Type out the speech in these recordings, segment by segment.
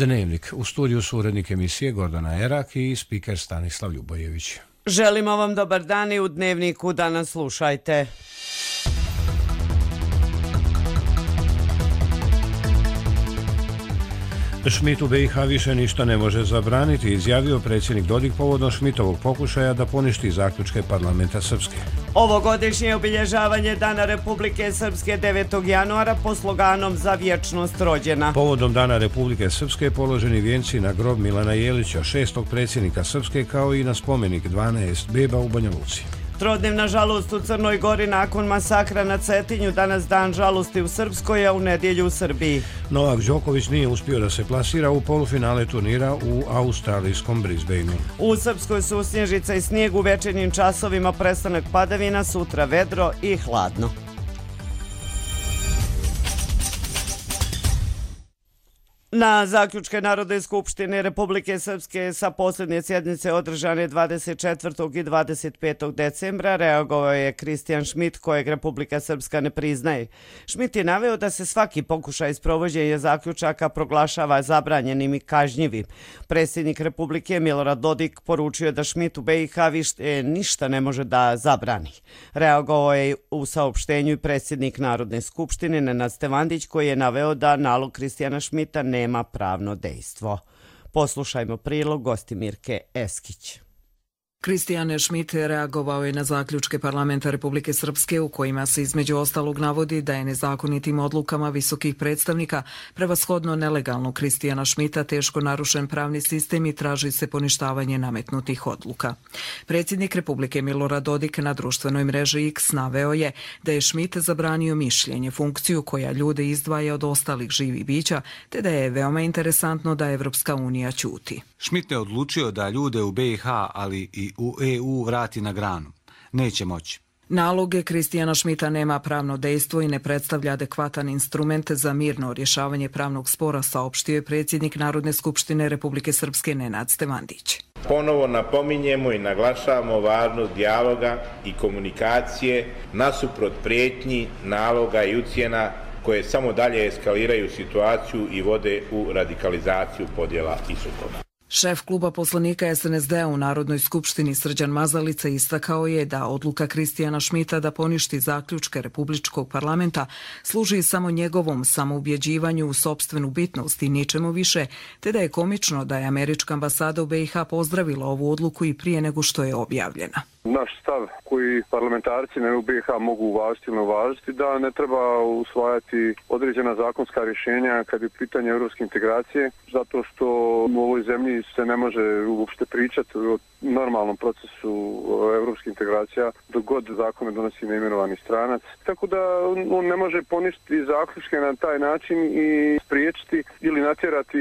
Dnevnik. U studiju su urednik emisije Gordana Erak i spiker Stanislav Ljubojević. Želimo vam dobar dan i u Dnevniku danas slušajte. Schmidt u BiH više ništa ne može zabraniti, izjavio predsjednik Dodik povodom Schmidtovog pokušaja da poništi zaključke parlamenta Srpske. Ovogodišnje obilježavanje Dana Republike Srpske 9. januara po sloganom Za vječnost rođena. Povodom Dana Republike Srpske položeni vijenci na grob Milana Jelića, 6. predsjednika Srpske, kao i na spomenik 12 beba u Banja Luci. Trodnevna žalost u Crnoj Gori nakon masakra na Cetinju, danas dan žalosti u Srpskoj, a u nedjelju u Srbiji. Novak Đoković nije uspio da se plasira u polufinale turnira u australijskom Brisbaneu. U Srpskoj su snježica i snijeg, u večernjim časovima prestanak padavina, sutra vedro i hladno. Na zaključke Narodne skupštine Republike Srpske sa posljednje sjednice održane 24. i 25. decembra reagovao je Kristijan Schmidt, kojeg Republika Srpska ne priznaje. Schmidt je naveo da se svaki pokušaj sprovođenja zaključaka proglašava zabranjenim i kažnjivim. Predsjednik Republike Milorad Dodik poručio da Schmidt u BiH više ništa ne može da zabrani. Reagovao je u saopštenju i predsjednik Narodne skupštine Nenad Stevandić, koji je naveo da nalog Kristijana Schmidta nema pravno dejstvo. Poslušajmo prilog Gostimirke Eskić. Kristijan Schmidt reagovao je na zaključke parlamenta Republike Srpske u kojima se između ostalog navodi da je nezakonitim odlukama visokih predstavnika prevashodno nelegalno Kristijana Schmidta teško narušen pravni sistem i traži se poništavanje nametnutih odluka. Predsjednik Republike Milorad Dodik na društvenoj mreži X naveo je da je Schmidt zabranio mišljenje, funkciju koja ljude izdvaja od ostalih živih bića, te da je veoma interesantno da Evropska unija ćuti. Schmidt je odlučio da ljude u BiH, ali i u EU vrati na granu. Neće moći. Naloge Kristijana Schmidta nema pravno dejstvo i ne predstavlja adekvatan instrument za mirno rješavanje pravnog spora, saopštio je predsjednik Narodne skupštine Republike Srpske Nenad Stevandić. Ponovo napominjemo i naglašavamo važnost dijaloga i komunikacije nasuprot prijetnji, naloga i ucjena koje samo dalje eskaliraju situaciju i vode u radikalizaciju podjela i sukoba. Šef kluba poslanika SNSD u Narodnoj skupštini Srđan Mazalica istakao je da odluka Kristijana Schmidta da poništi zaključke Republičkog parlamenta služi samo njegovom samoubjeđivanju u sopstvenu bitnost i ničemu više, te da je komično da je američka ambasada u BiH pozdravila ovu odluku i prije nego što je objavljena. Naš stav koji parlamentarci u BiH mogu uvažiti ili ne uvažiti, da ne treba usvajati određena zakonska rješenja kad je pitanje europske integracije, zato što u ovoj zemlji se ne može uopšte pričati o normalnom procesu europskih integracija dok god zakone donosi neimenovani stranac. Tako da on ne može poništiti zaključke na taj način i spriječiti ili natjerati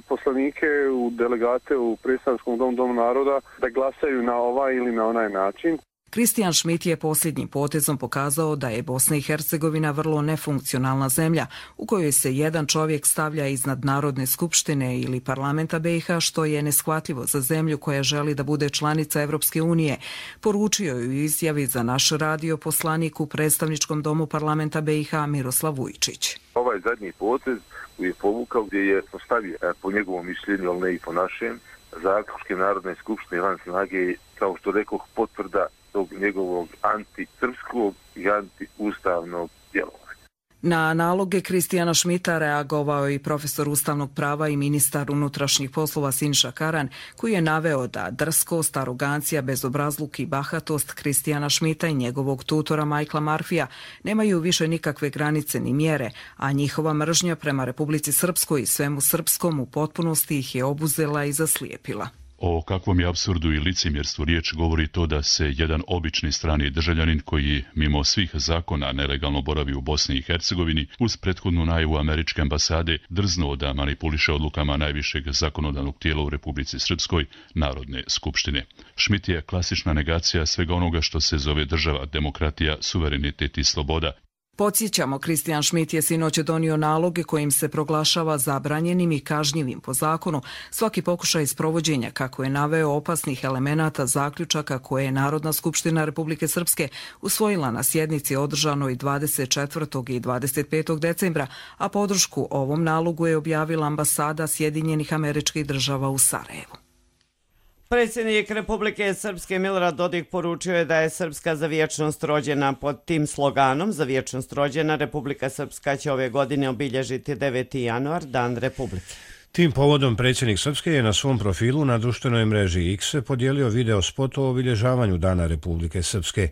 poslanike u delegate u predstavničkom domu naroda da glasaju na ovaj ili na onaj način. Kristijan Schmidt je posljednjim potezom pokazao da je Bosna i Hercegovina vrlo nefunkcionalna zemlja u kojoj se jedan čovjek stavlja iznad Narodne skupštine ili parlamenta BiH, što je neshvatljivo za zemlju koja želi da bude članica Evropske unije, poručio je u izjavi za naš radio poslanik u predstavničkom domu parlamenta BiH Miroslav Vujčić. Ovaj zadnji potez koji je povukao, gdje je postavio po njegovom mišljenju, ali ne i po našem, zaključke Narodne skupštine van snage, kao što rekoh, potvrda tog njegovog antisrpskog i antiustavnog djelovanja. Na naloge Kristijana Schmidta reagovao i profesor ustavnog prava i ministar unutrašnjih poslova Siniša Karan, koji je naveo da drskost, arogancija, bezobrazluk i bahatost Kristijana Schmidta i njegovog tutora Michaela Murphyja nemaju više nikakve granice ni mjere, a njihova mržnja prema Republici Srpskoj i svemu srpskom u potpunosti ih je obuzela i zaslijepila. O kakvom je apsurdu i licemjerstvu riječ govori to da se jedan obični strani državljanin koji mimo svih zakona nelegalno boravi u Bosni i Hercegovini uz prethodnu najavu američke ambasade drznuo da manipuliše odlukama najvišeg zakonodavnog tijela u Republici Srpskoj, Narodne skupštine. Schmidt je klasična negacija svega onoga što se zove država, demokratija, suverenitet i sloboda. Podsjećamo, Kristijan Šmit je sinoć donio naloge kojim se proglašava zabranjenim i kažnjivim po zakonu svaki pokušaj sprovođenja, kako je naveo, opasnih elemenata zaključaka koje je Narodna skupština Republike Srpske usvojila na sjednici održanoj 24. i 25. decembra, a podršku ovom nalogu je objavila ambasada Sjedinjenih Američkih Država u Sarajevu. Predsjednik Republike Srpske Milorad Dodik poručio je da je Srpska za vječnost rođena. Pod tim sloganom za vječnost rođena Republika Srpska će ove godine obilježiti 9. januar, Dan Republike. Tim povodom predsjednik Srpske je na svom profilu na društvenoj mreži X podijelio video spot o obilježavanju Dana Republike Srpske.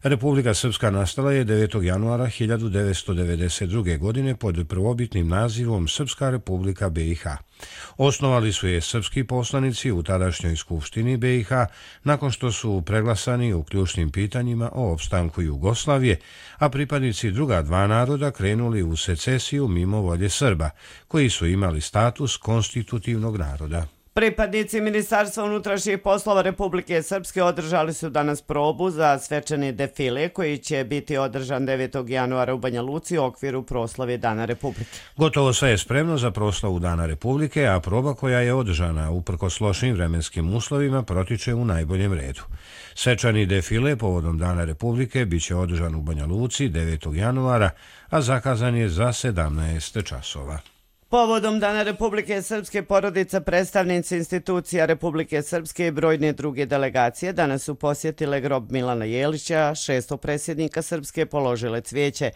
Republika Srpska nastala je 9. januara 1992. godine pod prvobitnim nazivom Srpska Republika BiH. Osnovali su je srpski poslanici u tadašnjoj skupštini BiH nakon što su preglasani u ključnim pitanjima o opstanku Jugoslavije, a pripadnici druga dva naroda krenuli u secesiju mimo volje Srba, koji su imali status konstitutivnog naroda. Pripadnici Ministarstva unutrašnjih poslova Republike Srpske održali su danas probu za svečani defile koji će biti održan 9. januara u Banja Luci u okviru proslave Dana Republike. Gotovo sve je spremno za proslavu Dana Republike, a proba koja je održana uprkos lošim vremenskim uslovima protiče u najboljem redu. Svečani defile povodom Dana Republike biće održan u Banja Luci 9. januara, a zakazan je za 17 časova. Povodom Dana Republike Srpske porodica, predstavnici institucija Republike Srpske i brojne druge delegacije danas su posjetile grob Milana Jelića, šestog predsjednika Srpske, položile cvijeće.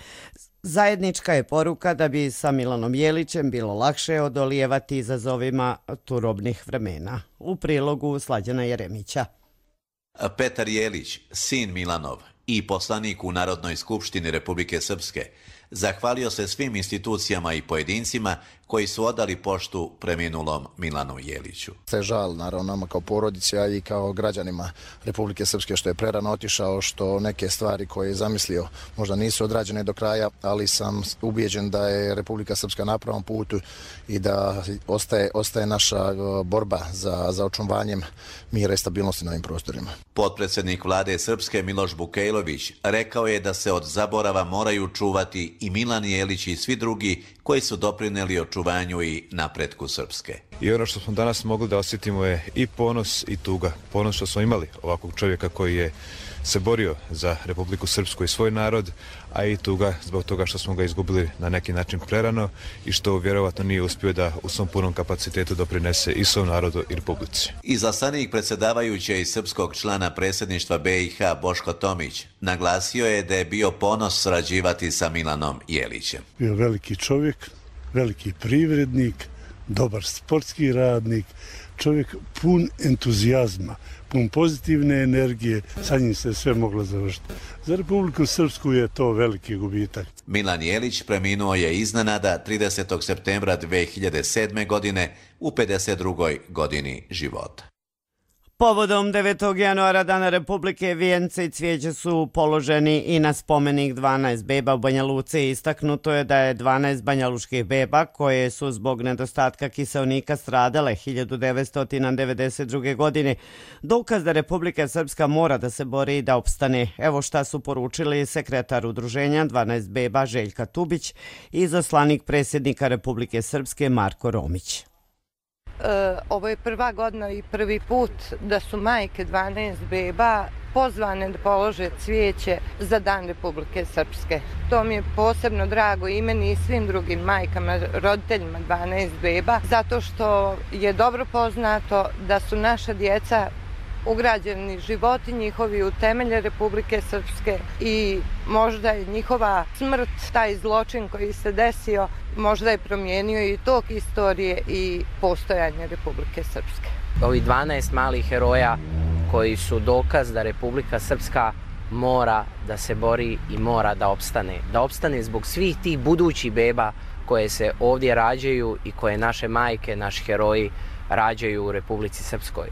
Zajednička je poruka da bi sa Milanom Jelićem bilo lakše odolijevati izazovima turobnih vremena. U prilogu Slađana Jeremića. Petar Jelić, sin Milanov i poslanik u Narodnoj skupštini Republike Srpske, zahvalio se svim institucijama i pojedincima koji su odali poštu preminulom Milanu Jeliću. Sve žal, naravno, nama kao porodici, a i kao građanima Republike Srpske što je prerano otišao, što neke stvari koje je zamislio možda nisu odrađene do kraja, ali sam ubijeđen da je Republika Srpska na pravom putu i da ostaje naša borba za očuvanjem mira i stabilnosti na ovim prostorima. Potpredsjednik vlade Srpske Miloš Bukejlović rekao je da se od zaborava moraju čuvati i Milan Jelić i svi drugi koji su doprinijeli očuvanju i napretku Srpske. I ono što smo danas mogli da osjetimo je i ponos i tuga. Ponos što smo imali ovakvog čovjeka koji je se borio za Republiku Srpsku i svoj narod, a i tuga zbog toga što smo ga izgubili na neki način prerano i što vjerovatno nije uspio da u svom punom kapacitetu doprinese i svom narodu i Republici. Izaslanik predsjedavajuće i srpskog člana predsjedništva BiH Boško Tomić naglasio je da je bio ponos sarađivati sa Milanom Jelićem. Bio veliki čovjek, veliki privrednik, dobar sportski radnik, čovjek pun entuzijazma, pun pozitivne energije, sa njim se sve moglo završiti. Za Republiku Srpsku je to veliki gubitak. Milan Jelić preminuo je iznenada 30. septembra 2007. godine u 52. godini života. Povodom 9. januara Dana Republike vijence i cvijeće su položeni i na spomenik 12 beba u Banja Luci. Istaknuto je da je 12 banjaluških beba koje su zbog nedostatka kiseonika stradale 1992. godine. Dokaz da Republika Srpska mora da se bori i da opstane. Evo šta su poručili sekretar udruženja 12 beba Željka Tubić i izaslanik predsjednika Republike Srpske Marko Romić. Ovo je prva godina i prvi put da su majke 12 beba pozvane da polože cvijeće za Dan Republike Srpske. To mi je posebno drago i meni i svim drugim majkama, roditeljima 12 beba, zato što je dobro poznato da su naša djeca ugrađeni životi njihovi u temelje Republike Srpske i možda je njihova smrt, taj zločin koji se desio, možda je promijenio i tok istorije i postojanje Republike Srpske. Ovi 12 malih heroja koji su dokaz da Republika Srpska mora da se bori i mora da opstane. Da opstane zbog svih tih budućih beba koje se ovdje rađaju i koje naše majke, naši heroji rađaju u Republici Srpskoj.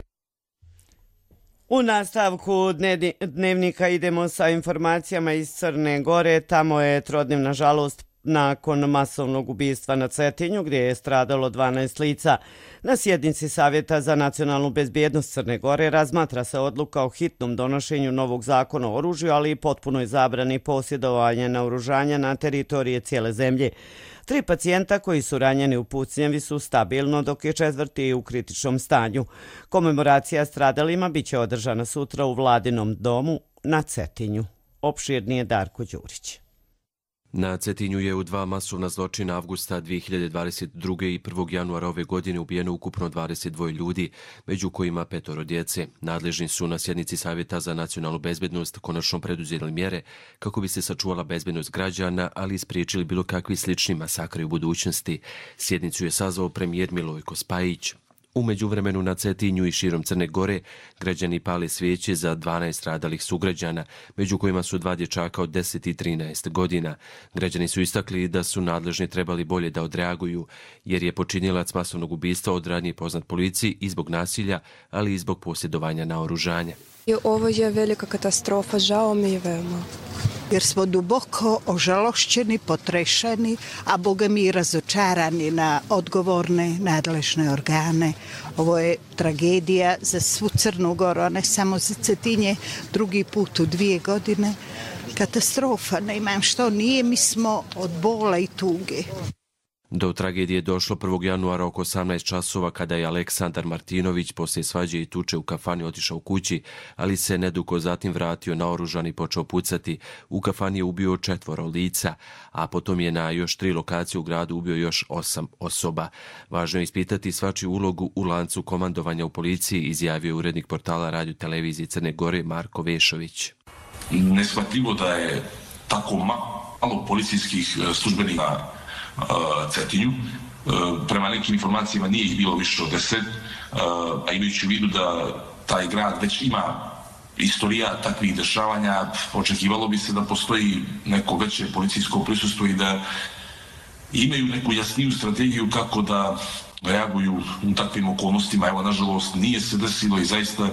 U nastavku dnevnika idemo sa informacijama iz Crne Gore. Tamo je trodnevna žalost nakon masovnog ubistva na Cetinju gdje je stradalo 12 lica. Na sjednici Savjeta za nacionalnu bezbjednost Crne Gore razmatra se odluka o hitnom donošenju novog zakona o oružju, ali i potpunoj zabrani posjedovanja naoružanja na teritorije cijele zemlje. 3 pacijenta koji su ranjeni u pucnjavi su stabilno, dok je 4. u kritičnom stanju. Komemoracija stradalima biće održana sutra u Vladinom domu na Cetinju. Opširnije Darko Đurić. Na Cetinju je u 2 masovna zločina avgusta 2022. i 1. januara ove godine ubijeno ukupno 22 ljudi, među kojima 5 djece. Nadležni su na sjednici Savjeta za nacionalnu bezbednost konačno preduzeli mjere kako bi se sačuvala bezbednost građana, ali i spriječili bilo kakvi slični masakri u budućnosti. Sjednicu je sazvao premijer Milojko Spajić. U međuvremenu na Cetinju i širom Crne Gore građani pale svijeće za 12 stradalih sugrađana, među kojima su 2 dječaka od 10 i 13 godina. Građani su istakli da su nadležni trebali bolje da odreaguju, jer je počinilac masovnog ubistva od ranije poznat policiji i zbog nasilja, ali i zbog posjedovanja naoružanja. Ovo je velika katastrofa, žao mi je veoma. Jer smo duboko ožalošćeni, potrešeni, a boga mi razočarani na odgovorne nadležne organe. Ovo je tragedija za svu Crnu Goru, a ne samo za Cetinje, drugi put u 2 godine. Katastrofa, ne imam što nije, mi smo od bola i tuge. Do tragedije došlo 1. januara oko 18 časova kada je Aleksandar Martinović poslije svađe i tuče u kafani otišao kući, ali se nedugo zatim vratio naoružan i počeo pucati. U kafani je ubio 4 lica, a potom je na još 3 lokacije u gradu ubio još 8 osoba. Važno je ispitati svačiju ulogu u lancu komandovanja u policiji, izjavio urednik portala Radio Televizije Crne Gore Marko Vešović. Neshvatljivo da je tako malo policijskih službenika Cetinju. Prema nekim informacijama nije ih bilo više od 10, a imajući u vidu da taj grad već ima istorija takvih dešavanja, očekivalo bi se da postoji neko veće policijsko prisustvo i da imaju neku jasniju strategiju kako da reaguju u takvim okolnostima. Evo, nažalost, nije se desilo i zaista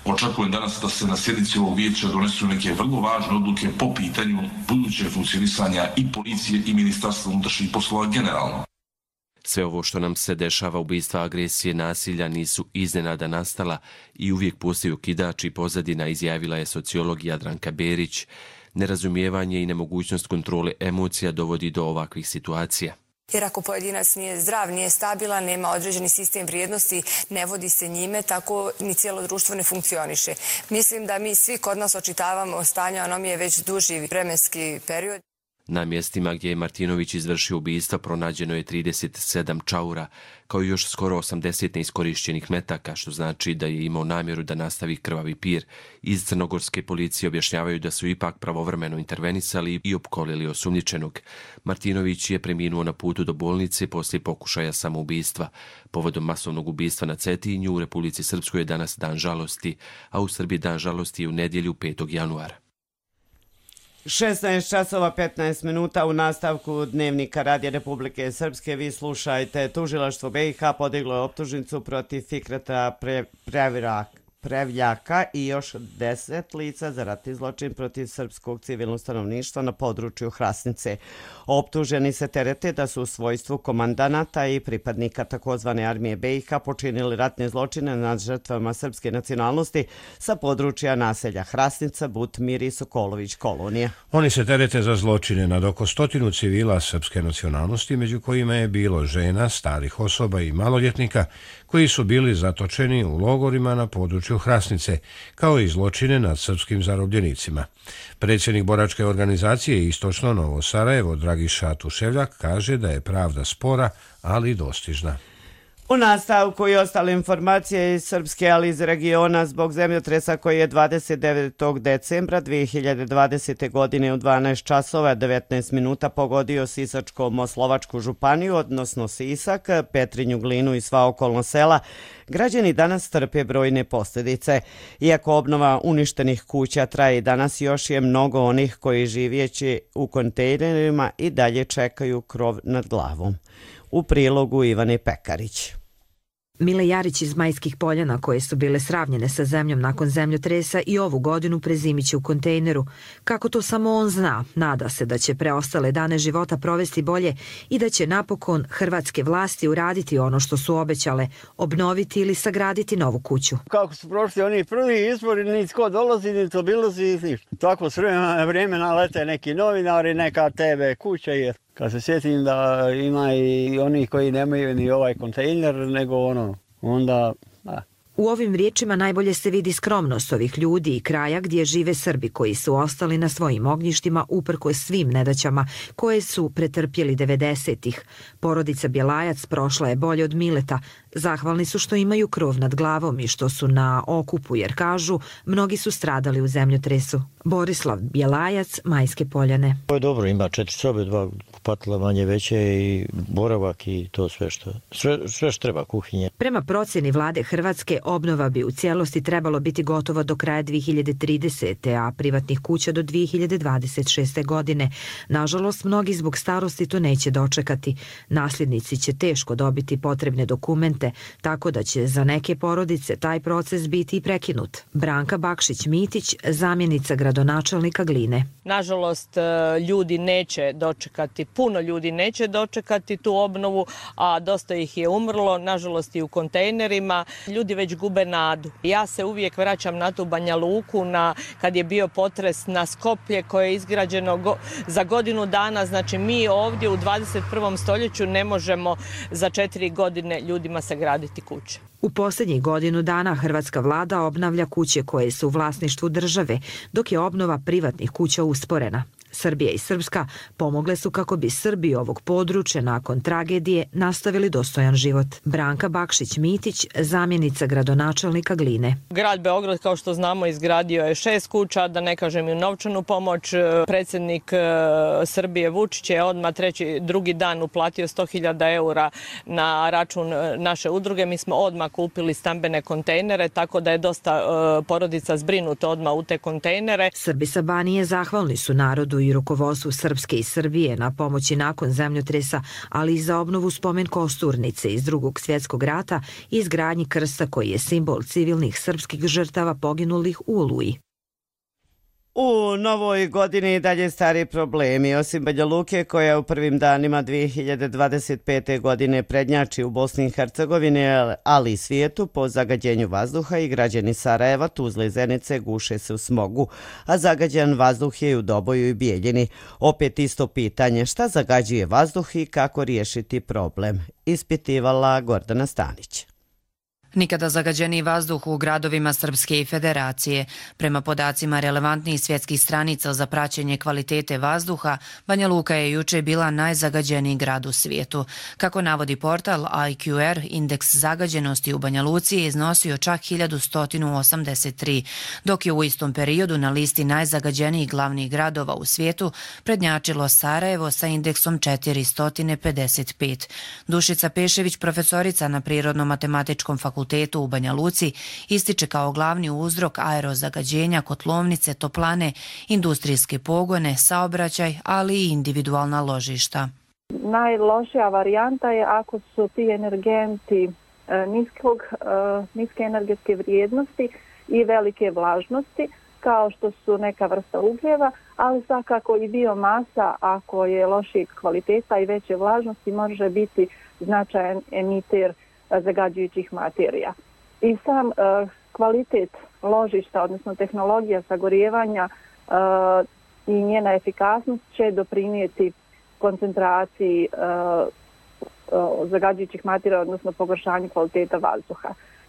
očekujem danas da se na sjednici ovog vijeća donesu neke vrlo važne odluke po pitanju budućeg funkcionisanja i policije i Ministarstva unutrašnjih poslova generalno. Sve ovo što nam se dešava, ubistva, agresije, nasilja, nisu iznenada nastala i uvijek postoji okidač i pozadina, izjavila je sociolog Jadranka Berić. Nerazumijevanje i nemogućnost kontrole emocija dovodi do ovakvih situacija. Jer ako pojedinac nije zdrav, nije stabilan, nema određeni sistem vrijednosti, ne vodi se njime, tako ni cijelo društvo ne funkcioniše. Mislim da mi svi kod nas očitavamo stanje anomije već duži vremenski period. Na mjestima gdje je Martinović izvršio ubistva pronađeno je 37 čaura, kao i još skoro 80 neiskorišćenih metaka, što znači da je imao namjeru da nastavi krvavi pir. Iz crnogorske policije objašnjavaju da su ipak pravovremeno intervenisali i opkolili osumnjičenog. Martinović je preminuo na putu do bolnice poslije pokušaja samoubistva. Povodom masovnog ubistva na Cetinju u Republici Srpskoj je danas dan žalosti, a u Srbiji dan žalosti je u nedjelju 5. januara. 16 časova 15 minuta u nastavku Dnevnika Radija Republike Srpske. Vi slušajte, tužilaštvo BiH podiglo je optužnicu protiv Fikreta Prevljaka i još 10 lica za ratni zločin protiv srpskog civilnog stanovništva na području Hrasnice. Optuženi se terete da su u svojstvu komandanata i pripadnika takozvane armije BiH počinili ratne zločine nad žrtvama srpske nacionalnosti sa područja naselja Hrasnica, Butmir i Sokolović kolonija. Oni se terete za zločine nad oko 100 civila srpske nacionalnosti, među kojima je bilo žena, starih osoba i maloljetnika koji su bili zatočeni u logorima na području Hrasnice, kao i zločine nad srpskim zarobljenicima. Predsjednik boračke organizacije Istočno Novo Sarajevo, Dragiša Tuševljak, kaže da je pravda spora, ali dostižna. U nastavku i ostale informacije iz Srpske, ali iz regiona, zbog zemljotresa koji je 29. decembra 2020. godine u 12 časova 19 minuta pogodio Sisačko-Moslovačku županiju, odnosno Sisak, Petrinju, Glinu i sva okolna sela, građani danas trpe brojne posljedice. Iako obnova uništenih kuća traje i danas, još je mnogo onih koji živjeći u kontejnerima i dalje čekaju krov nad glavom. U prilogu Ivane Pekarić. Mile Jarić iz Majskih Poljana, koje su bile sravnjene sa zemljom nakon zemljotresa, i ovu godinu prezimiće u kontejneru. Kako to samo on zna, nada se da će preostale dane života provesti bolje i da će napokon hrvatske vlasti uraditi ono što su obećale, obnoviti ili sagraditi novu kuću. Kako su prošli oni prvi izbori, nitko dolazi, nitko bilazi, ništa. Tako s vremena lete neki novinari, neka TV kuća je. Kad se sjetim da ima i oni koji nemaju ni ovaj kontejner, nego onda... U ovim riječima najbolje se vidi skromnost ovih ljudi i kraja gdje žive Srbi koji su ostali na svojim ognjištima uprkos svim nedaćama koje su pretrpjeli 90-ih. Porodica Bjelajac prošla je bolje od Mileta. Zahvalni su što imaju krov nad glavom i što su na okupu, jer kažu, mnogi su stradali u zemljotresu. Borislav Bjelajac, Majske Poljane. Ovo je dobro, ima 4 sobe, 2 kupatila manje veće i boravak i to sve što treba, kuhinje. Prema procjeni vlade Hrvatske, obnova bi u cijelosti trebalo biti gotova do kraja 2030. a privatnih kuća do 2026. godine. Nažalost, mnogi zbog starosti to neće dočekati. Nasljednici će teško dobiti potrebne dokumente, tako da će za neke porodice taj proces biti i prekinut. Branka Bakšić-Mitić, zamjenica gradonačelnika Gline. Nažalost, ljudi neće dočekati, puno ljudi neće dočekati tu obnovu, a dosta ih je umrlo, nažalost i u kontejnerima. Ljudi već gube nadu. Ja se uvijek vraćam na tu Banja Luku, kad je bio potres na Skoplje koje je izgrađeno za godinu dana. Znači mi ovdje u 21. stoljeću ne možemo za 4 godine ljudima sagraditi kuće. U posljednjih godinu dana hrvatska vlada obnavlja kuće koje su u vlasništvu države, dok je obnova privatnih kuća usporena. Srbija i Srpska pomogle su kako bi Srbi ovog područja nakon tragedije nastavili dostojan život. Branka Bakšić-Mitić, zamjenica gradonačelnika Gline. Grad Beograd, kao što znamo, izgradio je 6 kuća, da ne kažem i novčanu pomoć. Predsjednik Srbije Vučić je odmah drugi dan uplatio 100.000 eura na račun naše udruge. Mi smo odmah kupili stambene kontejnere, tako da je dosta porodica zbrinuto odmah u te kontejnere. Srbi sa Banije zahvalni su narodu i rukovodstvu Srpske i Srbije na pomoći nakon zemljotresa, ali i za obnovu spomen kosturnice iz Drugog svjetskog rata i izgradnji krsta koji je simbol civilnih srpskih žrtava poginulih u Oluji. U novoj godini dalje stari problemi. Osim Banja Luke, koja u prvim danima 2025. godine prednjači u Bosni i Hercegovini, ali i svijetu po zagađenju vazduha, i građani Sarajeva, Tuzle i Zenice guše se u smogu, a zagađen vazduh je u Doboju i Bijeljini. Opet isto pitanje, šta zagađuje vazduh i kako riješiti problem, ispitivala Gordana Stanić. Nikada zagađeniji vazduh u gradovima Srpske i Federacije. Prema podacima relevantnih svjetskih stranica za praćenje kvalitete vazduha, Banja Luka je juče bila najzagađeniji grad u svijetu. Kako navodi portal IQR, indeks zagađenosti u Banja Luci je iznosio čak 1183, dok je u istom periodu na listi najzagađenijih glavnih gradova u svijetu prednjačilo Sarajevo sa indeksom 455. Dušica Pešević, profesorica na Prirodno-matematičkom fakultetu u Banja Luci, ističe kao glavni uzrok aerozagađenja kotlovnice, toplane, industrijske pogone, saobraćaj, ali i individualna ložišta. Najlošija varijanta je ako su ti energenti niske energetske vrijednosti i velike vlažnosti, kao što su neka vrsta ugljeva, ali svakako i biomasa, ako je lošijeg kvaliteta i veće vlažnosti, može biti značajan emiter zagađujućih materija. I sam kvalitet ložišta, odnosno tehnologija sagorijevanja i njena efikasnost će doprinijeti koncentraciji zagađujućih materija, odnosno pogoršanju kvaliteta vazduha.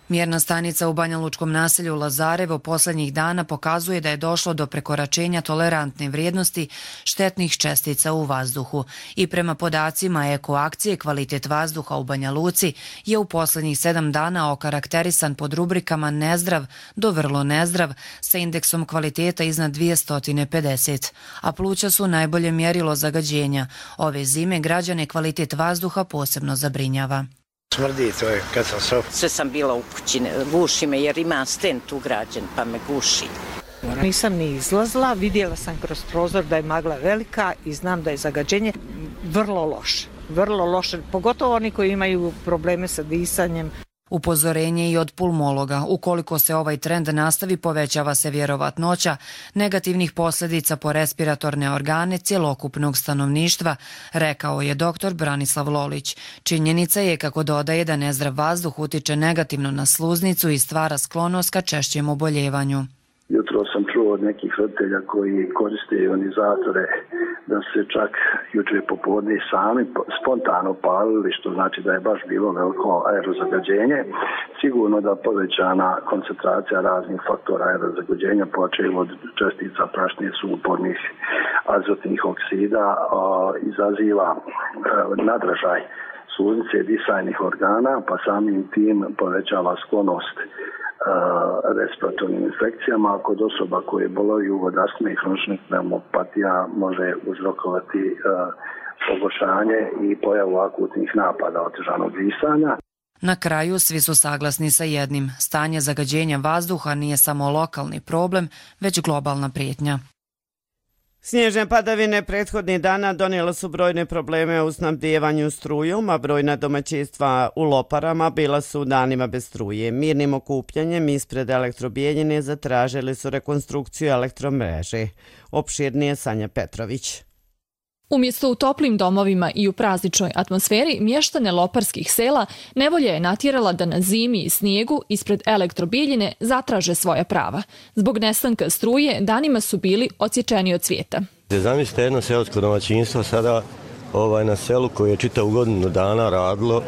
Mjerna stanica u banjalučkom naselju Lazarevo posljednjih dana pokazuje da je došlo do prekoračenja tolerantne vrijednosti štetnih čestica u vazduhu. I prema podacima ekoakcije, kvalitet vazduha u Banja Luci je u posljednjih 7 dana okarakterisan pod rubrikama nezdrav do vrlo nezdrav sa indeksom kvaliteta iznad 250, a pluća su najbolje mjerilo zagađenja. Ove zime građane kvalitet vazduha posebno zabrinjava. Smrdi, to je katastrofa. Sve sam bila u kući, guši me jer ima stent ugrađen pa me guši. Nisam ni izlazila, vidjela sam kroz prozor da je magla velika i znam da je zagađenje vrlo loše. Vrlo loše, pogotovo oni koji imaju probleme sa disanjem. Upozorenje i od pulmologa, ukoliko se ovaj trend nastavi, povećava se vjerovatnoća negativnih posljedica po respiratorne organe cjelokupnog stanovništva, rekao je dr. Branislav Lolić. Činjenica je, kako dodaje, da nezdrav vazduh utiče negativno na sluznicu i stvara sklonost ka češćem oboljevanju. Jutro sam čuo od nekih roditelja koji koriste ionizatore da se čak jučer popodne sami spontano palili, što znači da je baš bilo veliko aerozagađenje. Sigurno da povećana koncentracija raznih faktora aerozagađenja, počev od čestica prašnih, sumpornih, azotnih oksida, izaziva nadražaj sluznice i disajnih organa, pa samim tim povećava sklonost respiratornim infekcijama, a kod osoba koje boluju od astme i hroničnih pneumopatija može uzrokovati pogoršanje i pojavu akutnih napada otežanog disanja. Na kraju svi su saglasni sa jednim. Stanje zagađenja vazduha nije samo lokalni problem, već globalna prijetnja. Snježne padavine prethodnih dana donijela su brojne probleme u snabdijevanju strujom, a brojna domaćinstva u Loparama bila su danima bez struje. Mirnim okupljanjem ispred Elektrobijeljine zatražili su rekonstrukciju elektromreže. Opširnije Sanja Petrović. Umjesto u toplim domovima i u prazničnoj atmosferi, mještane loparskih sela nevolja je natjerala da na zimi i snijegu ispred Elektrobijeljine zatraže svoja prava. Zbog nestanka struje danima su bili odsječeni od svijeta. Zamislite jedno seosko domaćinstvo sada na selu koje je čitavu godinu dana radilo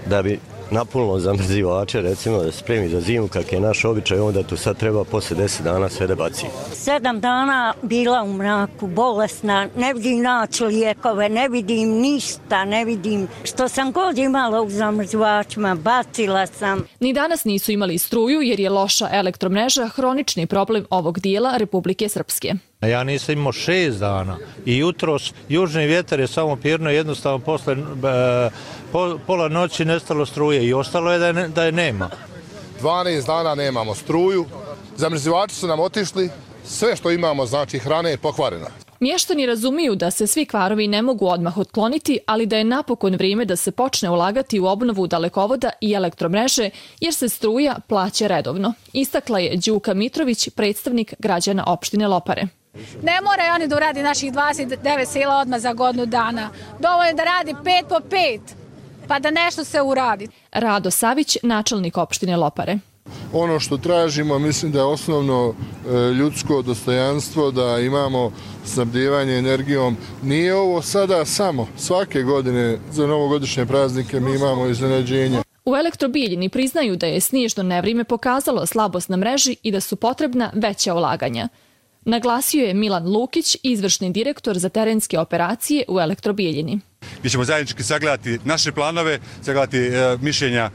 da bi napunilo zamrzivače, recimo da se spremi za zimu, kak je naš običaj, onda tu sad treba poslije 10 dana sve da baci. 7 dana bila u mraku, bolesna, ne vidim naći lijekove, ne vidim ništa, ne vidim što sam god imala u zamrzivačima, bacila sam. Ni danas nisu imali struju jer je loša elektromreža hronični problem ovog dijela Republike Srpske. Ja nisam imao 6 dana i jutros južni vjetar je samo pirno, jednostavno posle pola noći nestalo struje i ostalo je da je nema. 12 dana nemamo struju, zamrzivači su nam otišli, sve što imamo, znači hrane, je pokvarena. Mještani razumiju da se svi kvarovi ne mogu odmah otkloniti, ali da je napokon vrijeme da se počne ulagati u obnovu dalekovoda i elektromreže, jer se struja plaća redovno. Istakla je Đuka Mitrović, predstavnik građana opštine Lopare. Ne moraju oni da uradi naših 29 sela odmah za godinu dana. Dovoljno je da radi 5 po 5, pa da nešto se uradi. Rado Savić, načelnik opštine Lopare. Ono što tražimo, mislim da je osnovno ljudsko dostojanstvo, da imamo snabdijevanje energijom. Nije ovo sada samo. Svake godine za novogodišnje praznike mi imamo iznenađenje. U Elektrobijeljini priznaju da je snježno nevrijeme pokazalo slabost na mreži i da su potrebna veća ulaganja. Naglasio je Milan Lukić, izvršni direktor za terenske operacije u Elektrobijeljini. Mi ćemo zajednički sagledati naše planove, sagledati mišljenja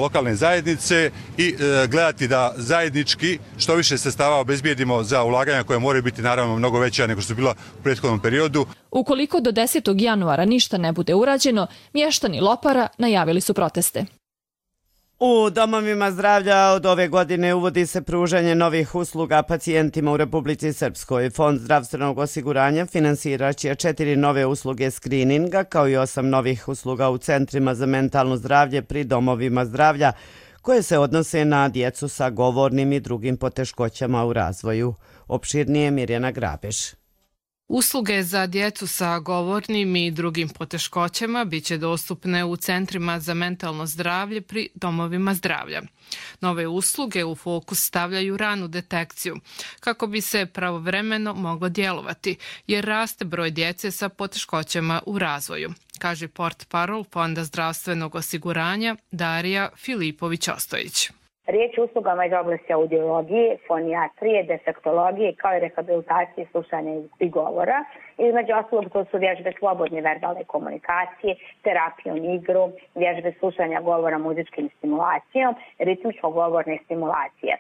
lokalne zajednice i gledati da zajednički što više sredstava obezbijedimo za ulaganja koja moraju biti naravno mnogo veća nego što su bila u prethodnom periodu. Ukoliko do 10. januara ništa ne bude urađeno, mještani Lopara najavili su proteste. U domovima zdravlja od ove godine uvodi se pružanje novih usluga pacijentima u Republici Srpskoj. Fond zdravstvenog osiguranja finansirat će 4 nove usluge skrininga kao i 8 novih usluga u centrima za mentalno zdravlje pri domovima zdravlja koje se odnose na djecu sa govornim i drugim poteškoćama u razvoju. Opširnije Mirjana Grabež. Usluge za djecu sa govornim i drugim poteškoćama biće dostupne u centrima za mentalno zdravlje pri domovima zdravlja. Nove usluge u fokus stavljaju ranu detekciju kako bi se pravovremeno moglo djelovati jer raste broj djece sa poteškoćama u razvoju, kaže portparol Fonda zdravstvenog osiguranja Darija Filipović-Ostojić. Riječ je o uslugama iz oblasti audiologije, fonijatrije, defektologije kao i rehabilitacije slušanja i govora. Između ostalog to su vježbe slobodne verbalne komunikacije, terapijom igru, vježbe slušanja govora muzičkim stimulacijom, ritmičko-govorne stimulacije.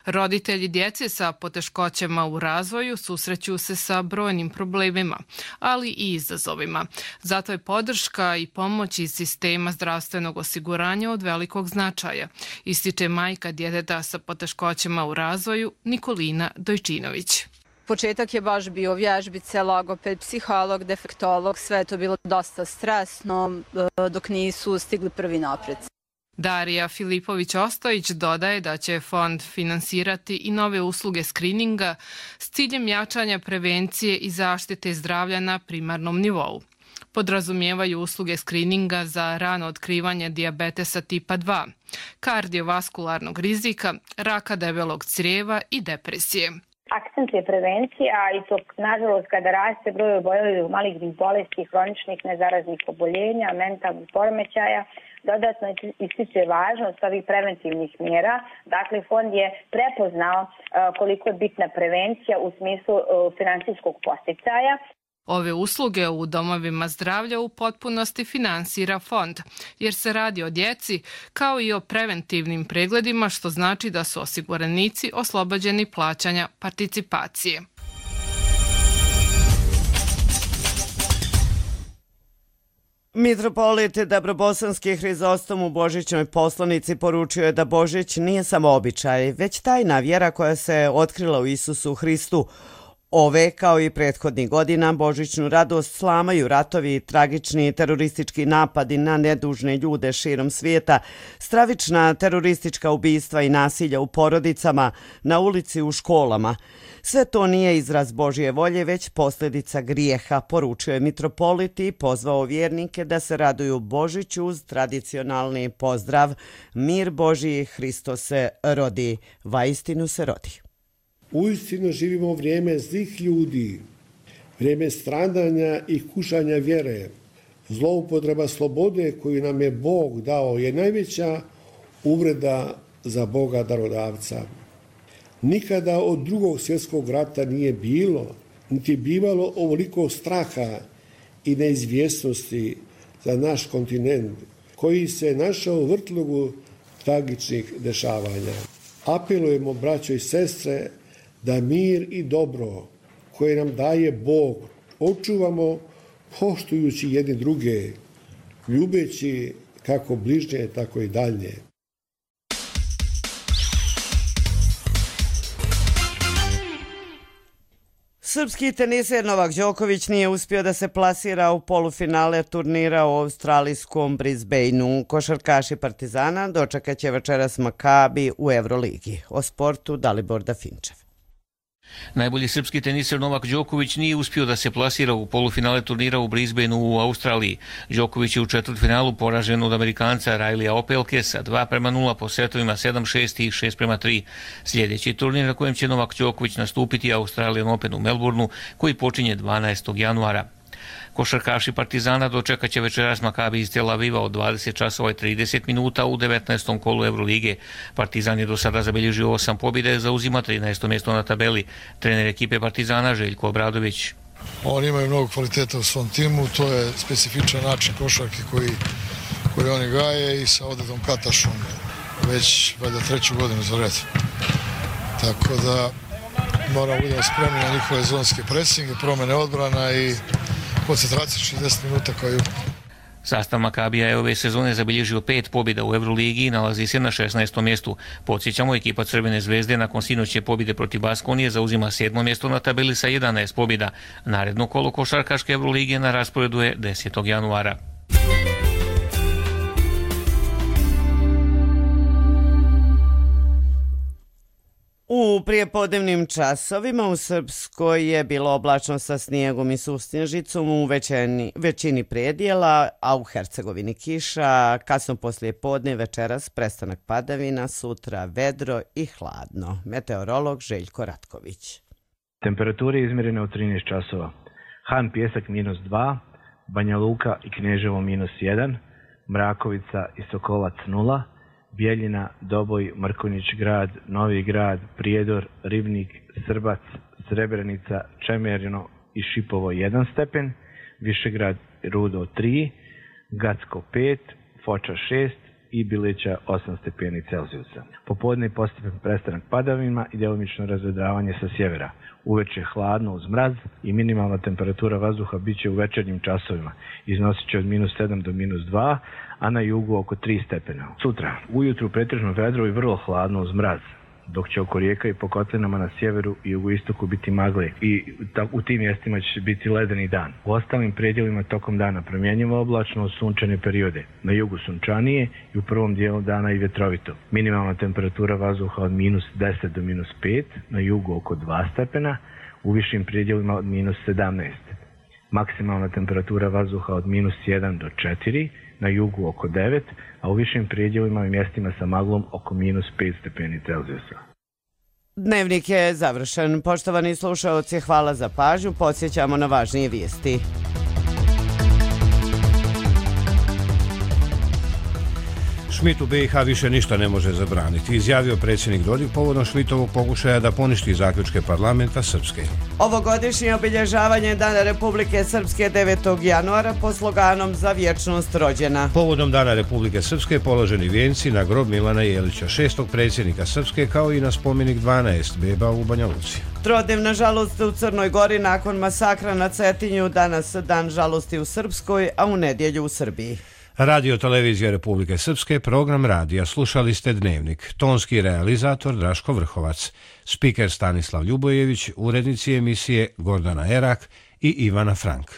Roditelji djece sa poteškoćama u razvoju susreću se sa brojnim problemima, ali i izazovima. Zato je podrška i pomoć iz sistema zdravstvenog osiguranja od velikog značaja, ističe majka djeteta sa poteškoćama u razvoju Nikolina Dojčinović. Početak je baš bio vježbice, logoped, psiholog, defektolog, sve je to bilo dosta stresno dok nisu stigli prvi napreci. Darija Filipović-Ostojić dodaje da će fond finansirati i nove usluge skrininga s ciljem jačanja prevencije i zaštite zdravlja na primarnom nivou. Podrazumijevaju usluge skrininga za rano otkrivanje dijabetesa tipa 2, kardiovaskularnog rizika, raka debelog crijeva i depresije. Akcent je prevencija i to, nažalost, kada raste broj oboljelih od malignih bolesti, hroničnih nezaraznih oboljenja, mentalnih poremećaja, dodatno ističe važnost ovih preventivnih mjera. Dakle, fond je prepoznao koliko je bitna prevencija u smislu finansijskog podsticaja. Ove usluge u domovima zdravlja u potpunosti finansira fond, jer se radi o djeci kao i o preventivnim pregledima, što znači da su osiguranici oslobođeni plaćanja participacije. Mitropolit Dabrobosanski Hrizostom u božićnoj poslanici poručio je da Božić nije samo običaj, već tajna vjera koja se otkrila u Isusu Hristu. Ove, kao i prethodnih godina, božićnu radost slamaju ratovi, tragični teroristički napadi na nedužne ljude širom svijeta, stravična teroristička ubistva i nasilja u porodicama, na ulici, u školama. Sve to nije izraz Božje volje, već posljedica grijeha, poručio je mitropolit i pozvao vjernike da se raduju Božiću uz tradicionalni pozdrav Mir Božji, Hristo se rodi, vaistinu se rodi. Uistinu živimo vrijeme zlih ljudi, vrijeme stradanja i kušanja vjere. Zloupotreba slobode koju nam je Bog dao je najveća uvreda za Boga darodavca. Nikada od Drugog svjetskog rata nije bilo, niti bivalo ovoliko straha i neizvjesnosti za naš kontinent, koji se našao u vrtlogu tragičnih dešavanja. Apelujemo, braćo i sestre, da mir i dobro koje nam daje Bog očuvamo poštujući jedni druge, ljubeći kako bližnje, tako i dalje. Srpski teniser Novak Đoković nije uspio da se plasira u polufinale turnira u australijskom Brisbaneu. Košarkaši Partizana dočekat će večeras Makabi u Euroligi. O sportu Dalibor Dafinčev. Najbolji srpski teniser Novak Đoković nije uspio da se plasira u polufinale turnira u Brisbaneu u Australiji. Đoković je u četvrtfinalu poražen od Amerikanca Rileyja Opelke sa 2:0 po setovima 7-6 i 6:3. Sljedeći turnir na kojem će Novak Đoković nastupiti je Australian Open u Melbourneu, koji počinje 12. januara. Košarkaši Partizana dočekat će večeras Makabi iz Tel Aviva od 20:30 u 19. kolu Eurolige. Partizan je do sada zabilježio 8 pobjede, zauzima 13. mjesto na tabeli. Trener ekipe Partizana Željko Obradović. Oni imaju mnogo kvaliteta u svom timu, to je specifičan način košarke koji oni gaje i sa Odedom Katašom već valjda 3. godinu za red. Tako da moramo biti spremni na njihove zonske presinge, promjene odbrana i koncentracija 60 minuta koju. Sastav Makabija je ove sezone zabilježio 5 pobjeda u Euroligi i nalazi se na 16. mjestu. Podsjećamo, ekipa Crvene zvezde nakon sinoćne pobjede protiv Baskonije zauzima 7. mjesto na tabeli sa 11 pobjeda. Naredno kolo košarkaške Euroligije na rasporedu je 10. januara. U prijepodnevnim časovima u Srpskoj je bilo oblačno sa snijegom i susnježicom u većini predjela, a u Hercegovini kiša, kasno poslije podne, večeras prestanak padavina, sutra vedro i hladno. Meteorolog Željko Ratković. Temperature izmjerene u 13 časova. Han Pjesak -2, Banja Luka i Kneževo -1, Mrakovica i Sokolac 0, Bijeljina, Doboj, Mrkonjić grad, Novi grad, Prijedor, Ribnik, Srbac, Srebrenica, Čemerino i Šipovo 1 stepen, Višegrad, Rudo 3, Gacko 5, Foča 6 i Bilića 8 stepeni Celzijusa. Popodne postepen prestanak padavina i djelomično razvedravanje sa sjevera. Uveče hladno uz mraz i minimalna temperatura vazduha bit će u večernjim časovima. Iznosit će od -7 do -2, a na jugu oko 3 stepena. Sutra ujutru pretežno vedro i vrlo hladno uz mraz. dok će oko rijeka i po kotlinama na sjeveru i jugoistoku biti magle i u tim mjestima će biti ledeni dan. U ostalim predjelima tokom dana promjenjivo oblačno uz sunčane periode. Na jugu sunčanije i u prvom dijelu dana i vjetrovito. Minimalna temperatura vazduha od minus 10 do minus 5, na jugu oko 2 stepena, u višim predjelima od minus 17. Maksimalna temperatura vazduha od minus 1 do 4, na jugu oko 9, a u višim predjelima i mjestima sa maglom oko minus 5 stepeni Celzijusa. Dnevnik je završen. Poštovani slušaoci, hvala za pažnju. Podsjećamo na važnije vijesti. Šmit u BiH više ništa ne može zabraniti, izjavio predsjednik Dodik povodom Šmitovog pokušaja da poništi zaključke parlamenta Srpske. Ovogodišnje obilježavanje Dana Republike Srpske 9. januara po sloganom Za vječnost rođena. Povodom Dana Republike Srpske položeni vijenci na grob Milana Jelića, 6. predsjednika Srpske, kao i na spomenik 12 beba u Banja Luci. Trodnevna žalost u Crnoj Gori nakon masakra na Cetinju, danas dan žalosti u Srpskoj, a u nedjelju u Srbiji. Radio Televizija Republike Srpske, program radija. Slušali ste Dnevnik. Tonski realizator Draško Vrhovac. Spiker Stanislav Ljubojević, urednici emisije Gordana Erak i Ivana Frank.